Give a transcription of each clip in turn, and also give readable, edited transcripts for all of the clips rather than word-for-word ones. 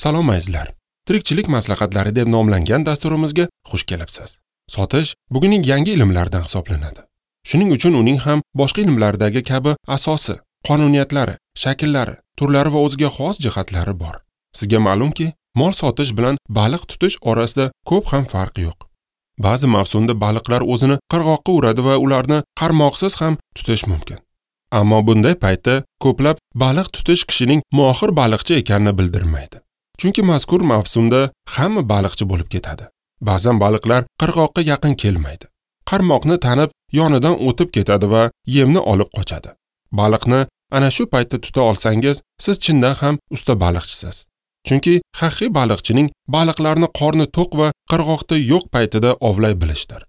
Salom azizlar. Tirikchilik maslahatlari deb nomlangan dasturimizga xush kelibsiz. Sotish bugunning yangi ilmlaridan hisoblanadi. Shuning uchun uning ham boshqa ilmlardagi kabi asosi, qonuniyatlari, shakllari, turlari va o'ziga xos jihatlari bor. Sizga ma'lumki, mol sotish bilan baliq tutish orasida ko'p ham farq yo'q. Ba'zi mavsumda baliqlar o'zini qirg'oqqa uradi va ularni qarmoqsiz ham tutish mumkin. Ammo bunday paytda ko'plab baliq tutish kishining mohir baliqchi ekanini bildirmaydi. Chunki mazkur mavsumda hamma baliqchi bo'lib ketadi. Ba'zan baliqlar qirg'oqqa yaqin kelmaydi. Qarmoqni tanib, yonidan o'tib ketadi va yemni olib qochadi. Baliqni ana shu paytda tuta olsangiz, siz chindan ham usta baliqchisiz. Chunki haqiqiy baliqchining baliqlarni qorni to'q va qirg'oqda yo'q paytida ovlay bilishdir.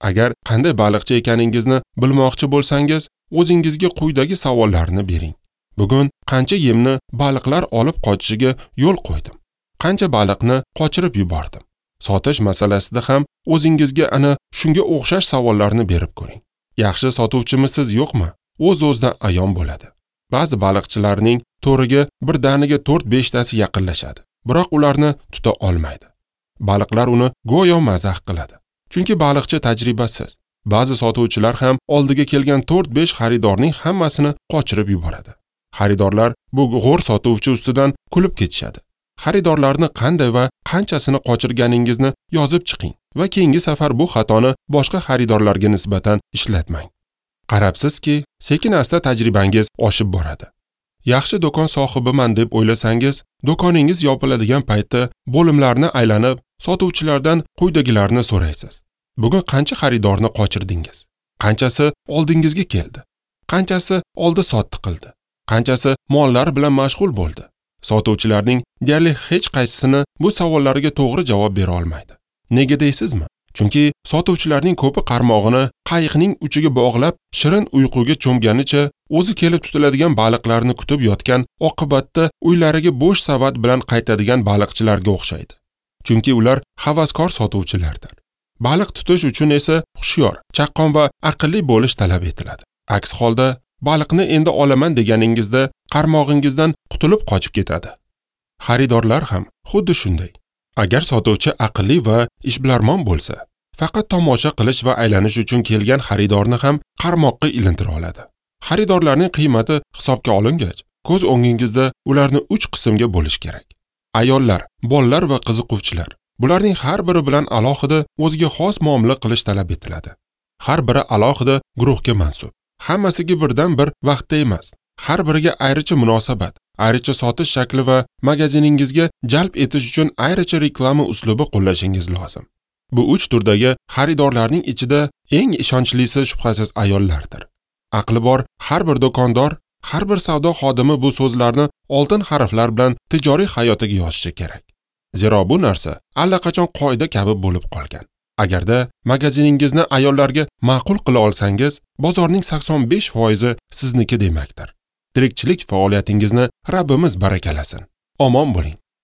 Agar qanday baliqchi ekaningizni bilmoqchi bo'lsangiz, o'zingizga quyidagi savollarni bering. Bugun qancha yemni baliqlar olib qochishiga yo'l qo'ydim? Qancha baliqni qochirib yubordim? Sotish masalasida ham o'zingizga ana shunga o'xshash savollarni berib ko'ring. Yaxshi sotuvchimisiz yo'qmi? O'z-o'zidan ayon bo'ladi. Ba'zi baliqchilarning to'riga birdaniga 4-5 tasi yaqinlashadi, biroq ularni tuta olmaydi. Baliqlar uni go'yo mazax qiladi. Chunki baliqchi tajribasiz. Ba'zi sotuvchilar ham oldiga kelgan 4-5 xaridorning hammasini qochirib yuboradi. Xaridorlar bu g'o'r sotuvchi ustidan kulib ketishadi. Xaridorlarni qanday va qanchasini qochirganingizni yozib chiqing va keyingi safar bu xatoni boshqa xaridorlarga nisbatan ishlatmang. Qarabsizki, sekin-asta tajribangiz oshib boradi. Yaxshi do'kon sohibiman deb o'ylasangiz, do'koningiz yopiladigan paytda bo'limlarni aylanib, sotuvchilardan quyidagilarni so'raysiz. Bugun qancha xaridorni qochirdingiz? Qanchasi oldingizga keldi? Qanchasi oldi-sotdi qildi? Qanchasi mollar bilan mashg'ul bo'ldi? Sotuvchilarning deyarli hech qaysisini bu savollarga to'g'ri javob bera olmaydi. Nega deysizmi? Chunki sotuvchilarning ko'pi qarmog'ini qayiqning uchiga bog'lab, shirin uyquga cho'mganicha o'zi kelib tutiladigan baliqlarni kutib yotgan, oqibatda uylariga bo'sh savat bilan qaytadigan baliqchilarga o'xshaydi. Chunki ular havaskor sotuvchilardir. Baliq tutish uchun esa hushyor, chaqqon va aqlli bo'lish talab etiladi. Aks holda baliqni endi olaman deganingizda qarmog'ingizdan qutulib qochib ketadi. Xaridorlar ham xuddi shunday. Agar sotuvchi aqlli va ishbilarmon bo'lsa, faqat tomosha qilish va aylanish uchun kelgan xaridorni ham qarmoqqa ilintira oladi. Xaridorlarning qiymati hisobga olingach, ko'z o'ngingizda ularni 3 qismga bo'lish kerak. Ayollar, bolalar va qiziquvchilar. Bularning har biri bilan alohida o'ziga xos muomala qilish talab etiladi. Har biri alohida guruhga mansub. Hammasiga birdan bir vaqtda emas. Har biriga ayricha munosabat, ayricha sotish shakli va magaziningizga jalb etish uchun ayricha reklama uslubi qo'llashingiz lozim. Bu 3 turdagi xaridorlarning ichida eng ishonchlisi shubhasiz ayollardir. Aqli bor har bir do'kondor, har bir savdo xodimi bu so'zlarni oltin harflar bilan tijoriy hayotiga yozishi kerak. Zero bu narsa allaqachon qoida kabi bo'lib qolgan. Agarda magaziningizni ayollarga ma'qul qila olsangiz, bozorning 85% sizniki demakdir. Tirikchilik faoliyatingizni Rabbimiz barakalasin. Omon bo'ling.